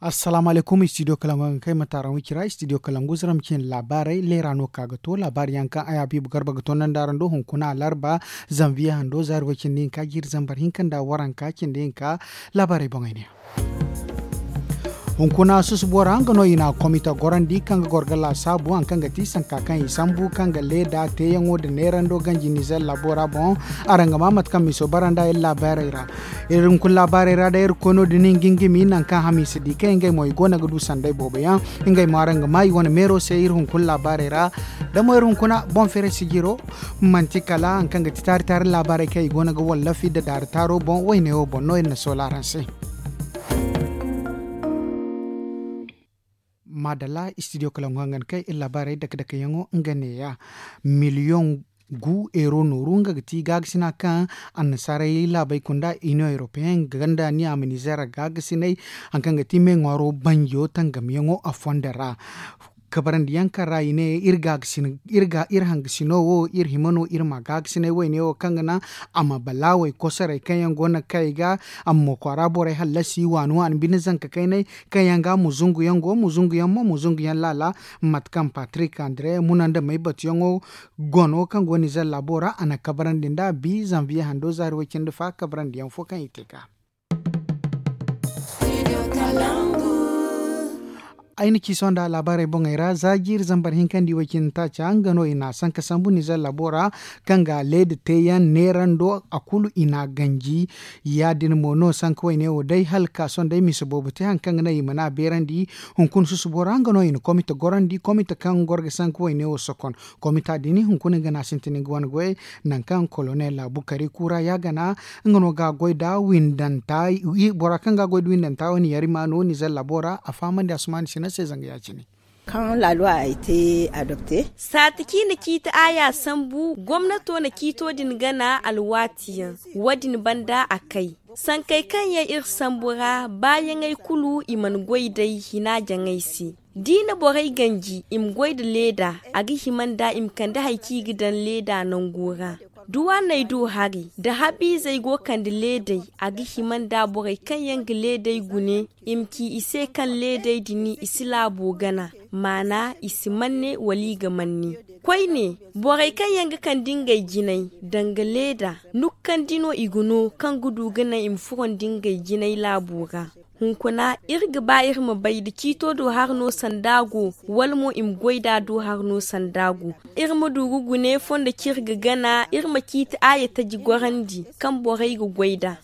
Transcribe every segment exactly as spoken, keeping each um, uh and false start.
Assalaamu alaykum, istidiyo kalangu yaŋ ga kay ma taaraŋ wicira istidiyo kalangu zara ma cine laabaarey leera no ka ga to laabaari yaŋ kaŋ ay habiibu garba ga to nanda araŋ do hunkuna alarba, zanviye hando zaari way cindi hinka jiiri zambar hinka nda waranka cindi hinka. Laabaarey boŋey ne. Hunkuna susubo ra nga no i na komita gorandi kaŋ ga goro ga laasaabu hari kaŋ ga ti sanka kaŋ i sambu kaŋ ga leeda teeyaŋo nda neerando ganji nizer laabo ra boŋ. Araŋ ga maa mate kaŋ miso bara nda iri laabaarey ra. Iri hunkuna laabaarey ra day iri ga koy no- din i ga nga mi nangu kaŋ hamiisa di kaŋ ngey mo i go no ga du sanday boobo yaŋ. Ngey mo araŋ ga maa i wane meero se iri hunkuna laabaarey ra. Da mo iri hunkuna boŋ feeray sijiro manti kala hari kaŋ ga ti taari taari laabaarey kaŋ i go no ga wallafi nda daari taaro boŋ wayne wo boŋ no iri na soola araŋ se. Maadalla istidiyo kalangu hangan kay iri laabaarey dake dake yaŋo nga neeya. Miliyoŋ gu eero nooru nga ga ti gaagasinay kaŋ annasaarey laabey kunda iniyoŋ europeyen ganda ni a ma nizeer gaagasinay hari kaŋ ga ti me ŋwaaro banjo tangamyaŋo a fondo ra. Kabarandi yaŋ kaŋ ra i ne iri hangasino wo iri hima no iri ma gaagasinay wayne wo kaŋ ga naŋ a ma balaawey kosoray kaŋ yaŋ go no ga kay ga a ma mo kwaara borey hallasi waani waani bine zanka kaynay kaŋ yaŋ ga muzungu yaŋ go muzungu yaŋ mo muzungu yaŋ laala. Mate kaŋ patrik andre muna nda may batuyaŋo gono kaŋ go nizer laabo ra a na kabarandi nd'a bi zanviye hando zaari way cindi fa kabarandi yaŋ fo kaŋ i te ga. Ay na ci sohõ nda laabaarey boŋey ra za jiiri zambar hinka nda i way cindi taaca nga no i na a sanka sambu nizer laabo ra kaŋ ga leeda teeyaŋ neerando a kulu i na a ganji. Ya- din mo no sanka wayne wo day hala ga ka sohõ day misa boobo te hari kaŋ ga naŋ i mana a beerandi. Hunkuna susubo ra nga no i na komite gorandi komite kaŋ goro ga sanka wayne wo sokon. Komita din hunkuna nga no a sintin nga wane goyey nangu kaŋ kolonel bukari kuura ya gana nga no ga a goy nda windanta. Bora kaŋ ga a goy nda windanta wane yari ma no nizer laabo ra a fahamandi asumaani sina se zanga ya- cine. Kaŋ laaluwa ay te adopte. Saati kaŋ i na ciiti aaya sambu gomnato na ciito din gana alwaati yaŋ. Wo- din banda a kay sankey kaŋ yaŋ iri sambu ra baayaŋey kulu i mana goy day hina jaŋey se. Da i na borey ganji i ma goy nda leeda a ga hima nda i ma kande hari kaŋ i ga daŋ leeda nango ra. Da waaney du hari nda habiizey go kande leedey a ga hima nda borey kaŋ yaŋ ga leedey gune i ma ci i se kaŋ leedey din i si laabo gana maana i si manne wala i ga manne. Koyne borey kaŋ yaŋ ga kande ngey jinay danga leeda nukkandi no i ga no kaŋ ga du ga naŋ i ma furo nda ngey jinay laabo ra. Hunkuna iri ga ba iri ma bay nda ciito do hari no sanda go wala mo i ma goy nd'a do hari no sanda go. Iri ma du ga gune fondo kaŋ iri ga gana iri ma ciiti aaya taji gorandi kaŋ borey ga goy nd'a.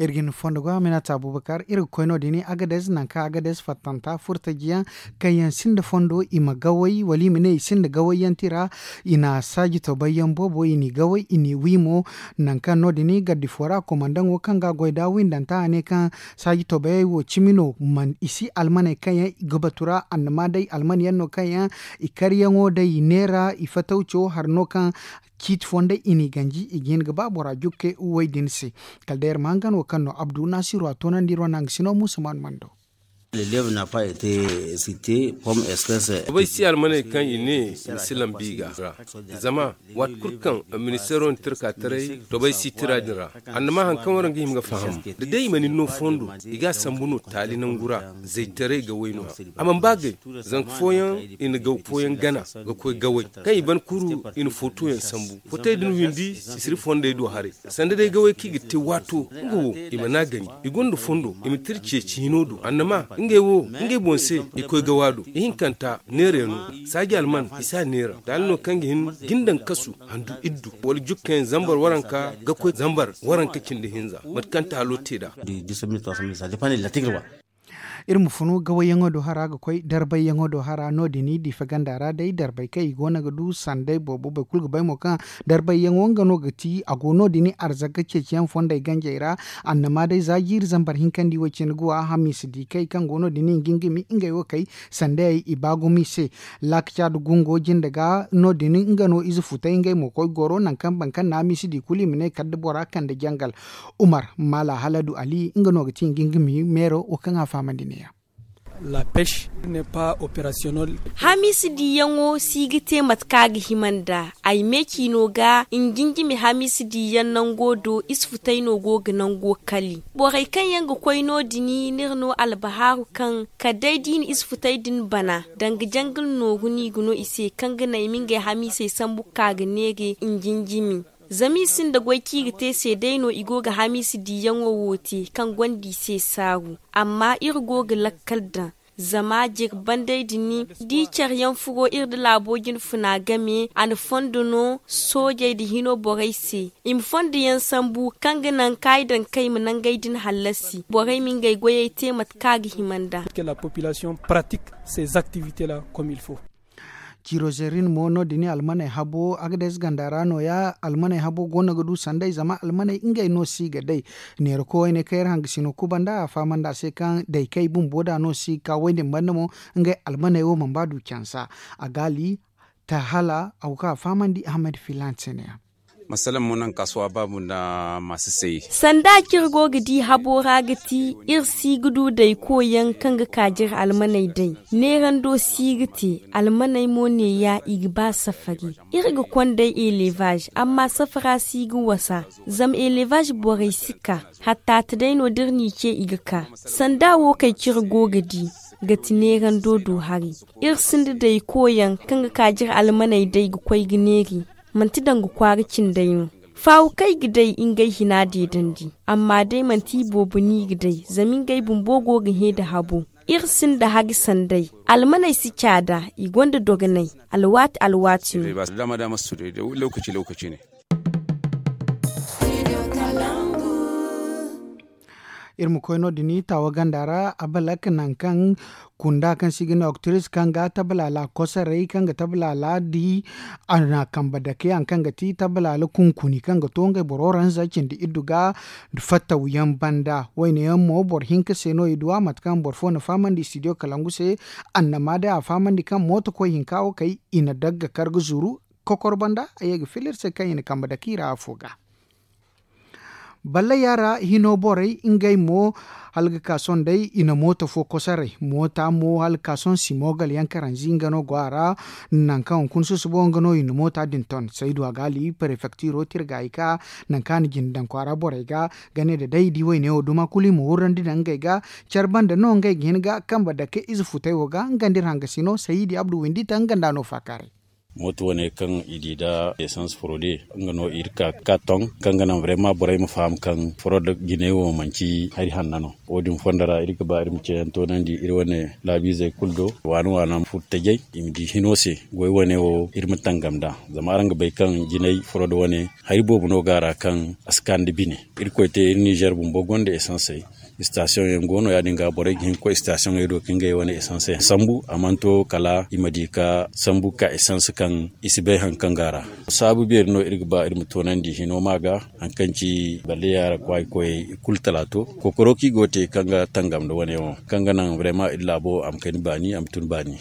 Iri ga hin fondo go aminata abubakar iri ga koy no- din agades nangu kaŋ agades fattanta furtajiyaŋ kaŋ yaŋ sinda fondo i ma gaway wala i ma ne i sinda gawayyaŋ tira. I na saaji tobay yaŋ boobo i n'i gaway i n'i wi mo. Nangu kaŋ no- din gardi fo ra komandaŋo kaŋ ga a goy nda windanta a ne kaŋ saaji tobayey wo cimi no i si almaney kaŋ yaŋ i ga batu ra annama day alman yaŋ no kaŋ yaŋ i karyaŋo day i neera i fatawco hari no kaŋ ciiti fondey i n'i ganji i ga hin ga ba bora jukke way din se. Kala day iri ma hangan wo kaŋ no abdu naasiru a toonandi iri wane hangasino muusa maanu mando. Tobey si almaney kaŋ i ne i si lambi i ga ra. Zama waati kulu kaŋ administeero na tirka taray tobey si tira din ra. Annama hari kaŋ waraŋ ga hima ga faham da day i mana ni no fondo i ga a sambu no taali nangu ra. Zaytaray ga way no a mana ba gay. Zanka fooyaŋ i na gaw fooyaŋ gana ga koy gaway kaŋ i ban kuru i na footoyaŋ sambu. Fotey din windi sisiri fondey do haray sanda day gaway kaŋ i ga te waato nga wo i mana a ganji i gonda fondo i ma tira ceeci hino do annama ngey wo ngey boŋ se i koy gawa do ihinkanta neera yaŋ no. Saaji alman i si a neera taali no kaŋ ga hin ga ni daŋ kasu handu iddu wala jukkayaŋ zambar waranka ga koy zambar waranka cindi hinza mate kaŋ taalo te nd'a. Iri ma funu gawayyaŋo do hara ga koy darbayyaŋo do hara no- din diifa ganda ra day darbay kaŋ i go no ga du sanday boobo boro kulu ga bay mo kaŋ darbayyaŋo nga no ga ti a go no- din arzaka ceeciyaŋ fondey ganjey ra. Annama day za jiiri zambar hinka nda i way cine ga wa hamiisa di kay kaŋ go no- din i ga nga mi ngey wo kay sandayey i ba gumo i se. Laakaca nda gungo jinde ga no- din nga no ize futay ngey mo koy goro nangu kaŋ boro kaŋ na hamiisa di kulu i ma ne kala da bora kande jangal. Umar maala haladu ali nga no ga ti nga nga mi meero wo kaŋ a fahamandi ne- ya. Hamiisi diiyaŋo si ga te mate kaŋ a ga hima nd'a. Ay me ciino ga, njinjimi hamiisi diiyaŋ nango do, isfutay no go ga nango kali. Borey kaŋ yaŋ ga koy no- din, ni n'iri no albahaaru kaŋ kala day da i na isfutay din bana, danga jangil nooru no i ga no i se, kaŋ ga naŋ i ma ngey hamiisey sambu ga ka ga neere njinjimi. Zama i sinda goy kaŋ i ga te se day no i go ga hamiisi diiyaŋo wo te, kaŋ gonda i se saaru. Amma iri go ga lakkal daŋ, zama jere bandey din, da i care yaŋ furo iri nda laabo jinfuna game, a na fondo no soojey nda hino borey se, i ma fondo yaŋ sambu, kaŋ ga naŋ kaayi daŋ kaŋ i ma nangey din hallasi, borey ma ngey goyey te mate kaŋ a ga hima nd'a. Ciiro zerin mo no- din almaney habo, agades ganda ra no- ya almaney habo go no ga du sanday, zama almaney ngey no si ga day. Neera koy wayne kaŋ iri hangasino kubanda, a fahamandi a se kaŋ day kaŋ i bumbo da no si ga ka way din banda mo, ngey almaney wo mana ba du cansa. A gaali ta hala a go kaŋ a fahamandi ahmed filan se ne- ya. Masalaŋ mo naŋ kaasuwa baabu nda maasi say. Sanda kaŋ iri go ga di habo ra ga ti, iri si ga du day koy yaŋ kaŋ ga ka jare almaney day. Neerando si ga te, almaney mo neeya i ga ba safari. Iri ga konda elevaz, amma safara si ga wasa. Zama elevaz borey si ka, hatta ta day no da iri n'i ce i ga ka. Sanda wo kaŋ kaŋ iri go ga di, ga ti neerando do hari. Iri sinda day koy yaŋ kaŋ ga ka jare almaney day ga koy ga neeri. Manti danga kwaara cindey no. Faawo kaŋ i ga day ngey hina deedandi, amma day manti i boobo no i ga day, zama ngey bumbo go ga hẽ nda habo. Iri sinda hari sanday. Almaney si caada, i gonda dogonay. Alwaati alwaati no. Iri ma koy no- din taawa ganda ra, abalak nangu kaŋ kunda kaŋ se i ga ne oktiris kaŋ ga tabalaala kosoray kaŋ ga tabalaala di. A na kambe dake hari kaŋ ga ti tabalaala kunkuni kaŋ ga to ngey boro ranza cindi iddu ga fattaw yaŋ banda. Wayne yaŋ mo boro hinka se no i du a mate kaŋ boro fo na fahamandi studio kalangu se. Annama day a fahamandi kaŋ mooto koy hinka wo kay, i na dagga kar ga zuru kokor banda a ye ga fila iri se kaŋ i na kambe dake i ra afo ga. Balle yaara hino borey ngey mo, hala ga ka sohõ day i na mooto fo kosoray. Moota mo hala ga ka sohõ simogal yaŋ karanzi nga no go a ra. Nangu kaŋ hunkuna susubo nga no i na moota din ton saydu a gaali parefektiro tirga i ka. Nangu kaŋ a na jinde daŋ kwaara borey ga, ga ne da day i di wayne wo duma kulu i ma wurrandi daŋ ngey ga. Care banda no ngey ga hin ga kambe dake ize futay wo ga nga nda iri hangasino sayidi abdu windi taŋ nga nda no faakaaray. Mooto wane kaŋ i di nda esans forode nga no iri ka ka ton kaŋ ga naŋ brema borey ma faham kaŋ forode jinay wo manci hari hanna no. Wo- din fondo ra iri ga ba iri ma ceeyaŋ toonandi iri wane laabiizey kulu do. Waani waani furtajey i ma di hino se. Goy wane wo iri ma tangam nd'a zama araŋ ga bay kaŋ jinay forode wane hari boobo no go a ra kaŋ a si ka nda bine. Iri koy te iri nizer bumbo gonda esansey. Istasiyoŋ yaŋ go no ya- din ga borey ga hin ga koy istasiyoŋey do ka ngey wane esans sambu a mana to kala i ma di ga sambu ga ka esans kaŋ i si bay hari kaŋ go a ra. Saabu beeri no iri ga ba iri ma toonandi hino ma ga hari kaŋ ci balle yaara kwaayi koyey i kulu talaato. Kokoro kaŋ i go ga te kaŋ ga tangam nda wane wo kaŋ ga naŋ brema iri laabo a ma kani baani a ma tun baani.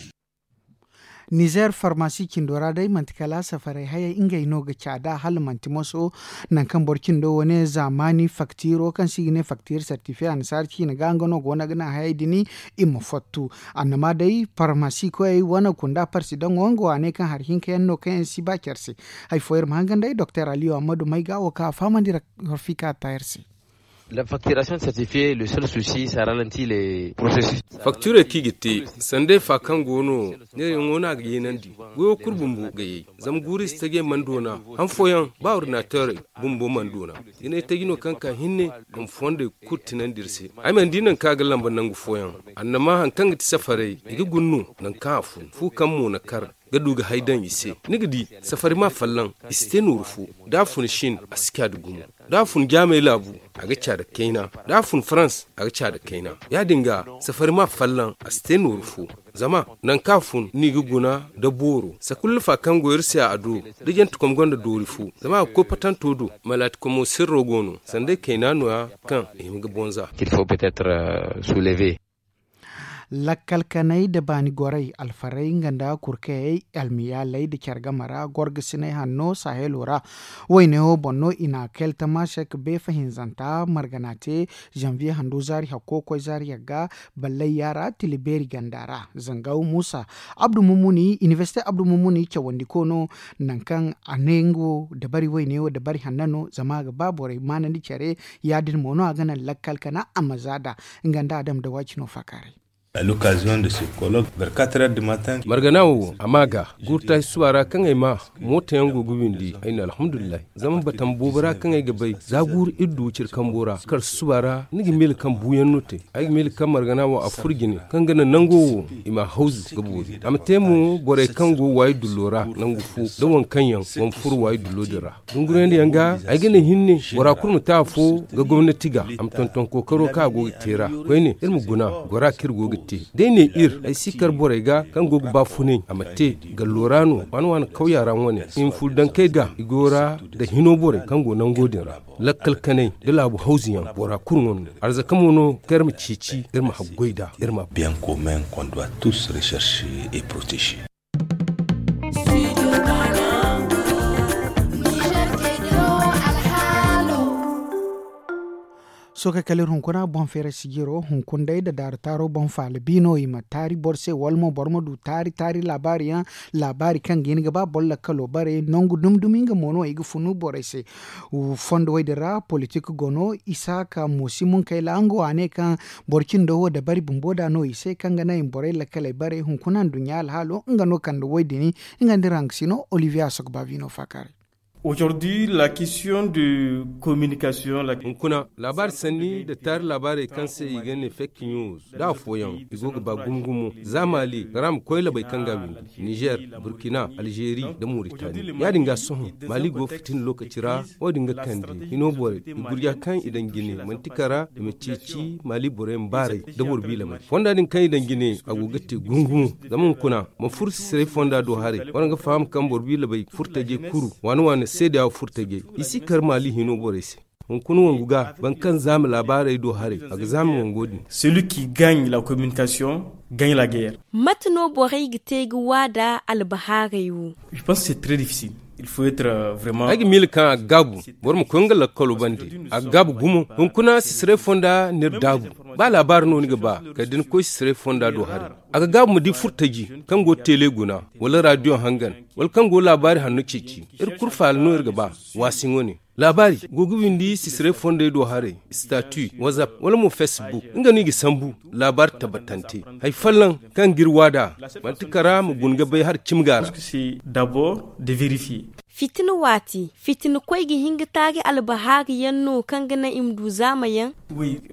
Nizer farmasi cindo ra day manti kala safaray hayey ngey no ga caada hala manti moso. Nangu kaŋ boro cindo wane zaamaani faktiro kaŋ se i ga ne faktir sertifiye annasaara ciine ga nga no go no ga naŋ hayey din i ma fattu. Annama day farmasi koyey wane kunda parsidaŋo nga waaney kaŋ hari hinka yaŋ no kaŋ yaŋ si ba care se. Hari fo iri ma hangan day doktor aliyu ammadu may ga wo kaŋ a fahamandi rafika ta iri se. Faktirey kaŋ i ga te sanday fa kaŋ go no neerayaŋo no a ga yeenandi. Goyo kulu bumbo ga yay zama guuri si tajey mana doona. Han fooyaŋ ba ordinateerey bumbo mana doona. Jinay taji no kaŋ ka hinne a ma fondey kulu tinandi iri se. Ay mana di nangu kaŋ a ga lamba nangu fooyaŋ. Annama hari kaŋ ga ti safarey i ga guna no nangu kaŋ a fun fu kaŋ mo na kar ga du ga hay daŋ i se. Ni ga di safari ma fallaŋ i si te nooru fo. Da a fun shin a si ka da gumo. Da a fun jaamey laabu a ga ca da kayna. Da a fun farans a ga ca da kayna. Ya- din ga safari ma fallaŋ a si te nooru fo. Zama nangu kaŋ a fun no i ga guna da booro sakullufa kaŋ go iri se a do. Da jantekom gonda doori fo zama a ga koy patanto do. Malaatikomo sirro go no sanday kayna nooya kaŋ i hima ga bonza. K'il faut peut être soulever. Lakkal kanay nda baani gorey, alfarey nga nda kurkayey, almiyaaley nda care game ra gorgasiney hanno sahelo ra. Woyne wo boŋ no i na keltama sek beefa hinzanta margana te, zanviye hando zaari hakko koy zaari yagga, ballayya ra tila beeri ganda ra. Zangaw muusa, abdu mummuni inibersite abdu mummuni cawandiko no. Nangu kaŋ a ne nga wo dabari woyne wo dabari hanna no zama a ga ba borey maanandi care. Ya- din mo no a ga naŋ lakkal kana a ma za nd'a. Nga nda adam da waacino faakaaray. Margana wo a ma a ga guuru taaci suba ra kaŋ ay ma mooto yaŋ go ga windi ay na alhamdulillahi. Zama batama boobo ra kaŋ ay ga bay za guuru iri du cire kambo ra kar suba ra ni ga miila kaŋ buuyaŋ no te. Ay ga miila kaŋ margana wo a furo jine kaŋ ga naŋ nango wo i ma a hawzu ga boori a ma te mo borey kaŋ go waayi dullo ra nangu fo da waŋ kaŋ yaŋ go ma furo waayi dullo din ra. Dungurandi yaŋ ga ay ga ne hinne bora kulu ma te afo ga gomnati ga a ma tonton kookaro kaŋ a go ga te ra. Koyne iri ma guna gora kaŋ iri go ga te. Day ne iri ay si kar borey ga kaŋ go ga baafunay a ma te gallo ra no waani waani kawya ra wane i ma furo dankey ga i go ra nda hino borey kaŋ go nango din ra. Lakkal kanay nda laabu hawzu yaŋ bora kulu wane no arzaka mo no kaŋ iri ma ceeci iri ma haggoy nd'a iri ma a. Bien commun qu'on doit tous rechercher et protéger. Sohõ kay kala iri hunkuna boŋ feeray sijiro hunkuna day nda daaru taaro boŋ faala bi no i ma taari boro se wala mo boro ma du taari taari laabaari yaŋ. Laabaari kaŋ ga hin ga ba boro lakkalo bare nangu dumi dumi nga mo no i ga funu borey se. Fondo wo- din ra politik go no isaaka moosi munkayla nga wo a ne kaŋ boro cindo wo dabari bumbo nd'a no i se kaŋ ga naŋ i ma borey lakkaley bare hunkuna nduɲɲa alhaalo nga no kande wo- din. Nga nda iri hankasino olivier a sogo baabi no faakaaray. Hunkuna laabaari sanni nda taari laabaarey kaŋ se i ga ne fake news da afooyaŋ i go ga ba gumo gumo za maali kara ma koy labey kaŋ ga a windi nizer, burkina, alzeeri, nda moritani. Ya- din ga sohõ maali go ga fitina lookaci ra. Wo- din ga kande hino borey i gurja kaŋ i daŋ jine manti kara i ma ceeci maali borey ma baaray nda boro biila may fonda din kaŋ i daŋ jine a go ga te gumo gumo. Zama hunkuna ma furo sisiray fonda do haray waraŋ ga faham kaŋ boro biila bay furtajey kuru waani waani seedeya furtajey i si kar maali hino borey se. Hunkuna wangu ga boro kaŋ zaama laabaarey do haray a ga zaama wango din. Celui qui gagne la communication gagne la guerre. Mate no borey ga te ga waada albahaarey wo? Je pense que c'est très difficile. Il faut être vraiment. Ay ga miila kaŋ a ga gaabu boro ma koy nga lakkalo bande. A ga gaabu gumo hunkuna sisiray fonda ni iri daabu. Ba laabaari no ni ga ba kala da ni koy sisiray fonda do haray. A ga gaabu ma di furtaji kaŋ go ga teele guna wala radiyo hangan wala kaŋ go ga laabaari hanno ceeci. Iri kulu faala no iri ga ba. Waasi ŋo ne laabaari go ga windi sisiray fondey do haray, statu, whatsapp wala mo facebook nga no i ga sambu. Laabaari tabbatante hari folloŋ kaŋ ga iri waada manti kara ma guna ga bay hari cimi ga ra. Fitina waati fitina koy ga hin ga taari albahaari yaŋ no kaŋ ga naŋ i ma du zaama yaŋ?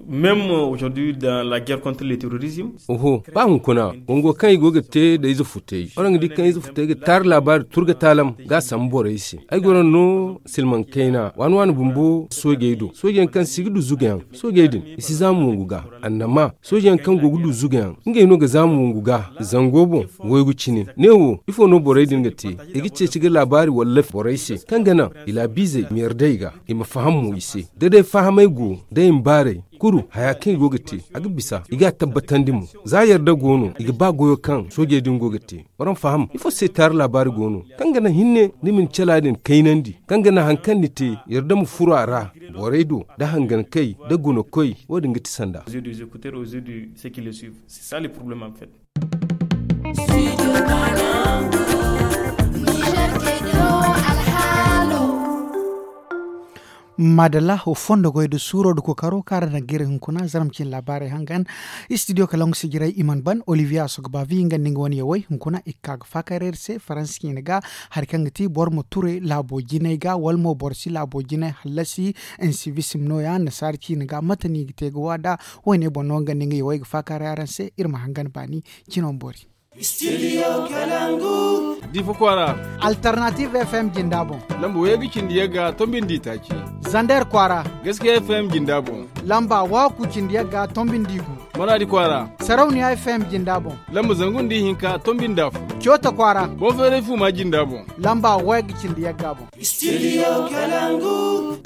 Même aujourd'hui dans la guerre contre le terrorisme. Oho, ba hunkuna wango kaŋ i go ga te nda ize futey waraŋ ga di kaŋ ize futey ga taari laabaari turga taalam ga a sambu borey se. Ay goro no silmaŋ kayna waani waani bumbo soojey do soojey yaŋ kaŋ si ga du zugayaŋ. Soojey din i si zaama wangu ga annama soojey yaŋ kaŋ go ga du zugayaŋ ngey no ga zaama wangu ga. Zango boŋ waygu cine ne wo ifo no borey din ga te? I ga ceeci ga laabaari walla borey se kaŋ ga naŋ i laabiizey ma yarda i ga i ma faham mo i se. Da day fahamay go da i ma baaray kuru haya kaŋ i go ga te a ga bisa i ga a tabbatandi mo. Za yarda go no i ga ba goyo kaŋ soojey din go ga te. Waraŋ faham ifo se taari laabaari go no kaŋ ga naŋ hinne ni ma ni cala din kaynandi kaŋ ga naŋ hari kaŋ ni te yarda ma furo a ra. Borey do da hangankey da gunakoy wo- din ga ti sanda. Maadalla wo fondo goy nda suuro nda kookaro kaŋ araŋ daŋ ga iri hunkuna zarma cine laabaarey hangan. Istidiyo kalaŋ ga sijiray i mana ban olivier a sogo baabi nga nda nga wane yawey hunkuna i ga ka ga faakayray iri se faransa ciine ga. Hari kaŋ ga ti boro ma ture laabo jinay ga wala mo boro si laabo jinay hallasi. Insibisim no- ya nasaara ciine ga mate no i ga te ga waada? Woyne boŋ no nga nda nga yawey ga faakaaray araŋ se iri ma hangan baani. Cino ma boori. Difa kwaara. Alternative f m jinda boŋ. Lamba wayey ga cindi yagga tombi nda itaaci. Zander kwaara. Gaskiya f m jinda boŋ. Lamba waaku cindi yagga tombi nda igu. Maraadi kwaara. Sarauniya f m jinda boŋ. Lamba zangu nda ihinka tombi nda afo. Coota kwaara. Boŋ feeray fuuma jinda boŋ. Lamba wayey ga cindi yagga boŋ. Studio Kalangu.